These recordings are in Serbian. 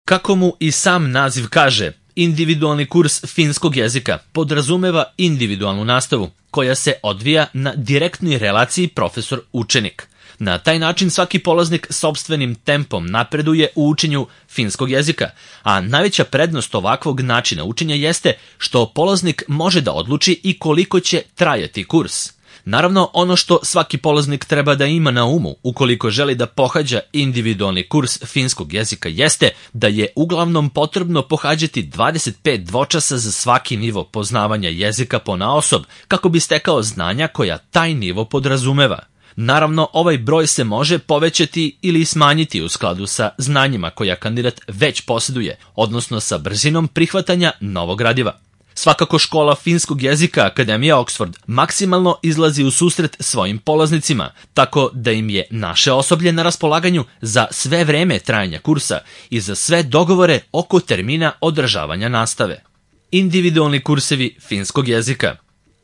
Kako mu i sam naziv kaže, individualni kurs finskog jezika podrazumeva individualnu nastavu koja se odvija na direktnoj relaciji profesor-učenik. Na taj način svaki polaznik sopstvenim tempom napreduje u učenju finskog jezika, a najveća prednost ovakvog načina učenja jeste što polaznik može da odluči i koliko će trajati kurs. Naravno, ono što svaki polaznik treba da ima na umu ukoliko želi da pohađa individualni kurs finskog jezika jeste da je uglavnom potrebno pohađati 25 dvočasa za svaki nivo poznavanja jezika ponaosob kako bi stekao znanja koja taj nivo podrazumeva. Naravno, ovaj broj se može povećati ili smanjiti u skladu sa znanjima koja kandidat već posjeduje, odnosno sa brzinom prihvatanja novog gradiva. Svakako škola finskog jezika Akademija Oxford maksimalno izlazi u susret svojim polaznicima, tako da im je naše osoblje na raspolaganju za sve vreme trajanja kursa i za sve dogovore oko termina održavanja nastave. Individualni kursevi finskog jezika.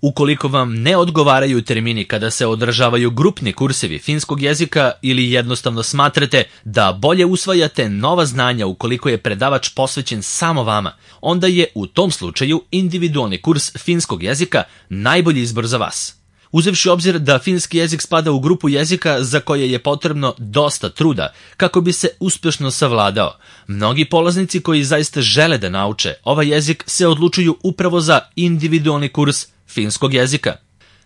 Ukoliko vam ne odgovaraju termini kada se održavaju grupni kursevi finskog jezika ili jednostavno smatrate da bolje usvajate nova znanja ukoliko je predavač posvećen samo vama, onda je u tom slučaju individualni kurs finskog jezika najbolji izbor za vas. Uzevši obzir da finski jezik spada u grupu jezika za koje je potrebno dosta truda kako bi se uspješno savladao, mnogi polaznici koji zaista žele da nauče ovaj jezik se odlučuju upravo za individualni kurs finskog jezika.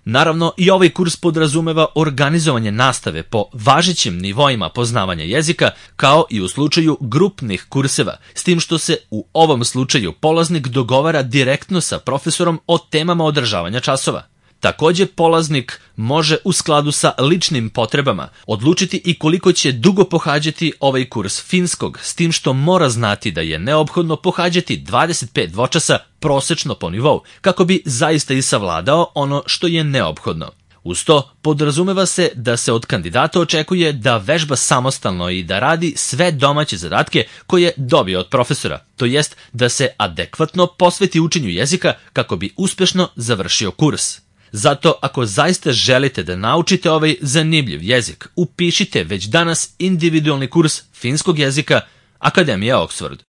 Naravno, i ovaj kurs podrazumeva organizovanje nastave po važećim nivoima poznavanja jezika, kao i u slučaju grupnih kurseva, s tim što se u ovom slučaju polaznik dogovara direktno sa profesorom o temama održavanja časova. Također, polaznik može u skladu sa ličnim potrebama odlučiti i koliko će dugo pohađati ovaj kurs finskog, s tim što mora znati da je neophodno pohađati 25 dvočasa prosečno po nivou, kako bi zaista i savladao ono što je neophodno. Uz to, podrazumeva se da se od kandidata očekuje da vežba samostalno i da radi sve domaće zadatke koje dobije od profesora, to jest da se adekvatno posveti učenju jezika kako bi uspješno završio kurs. Zato, ako zaista želite da naučite ovaj zanimljiv jezik, upišite već danas individualni kurs finskog jezika Akademija Oxford.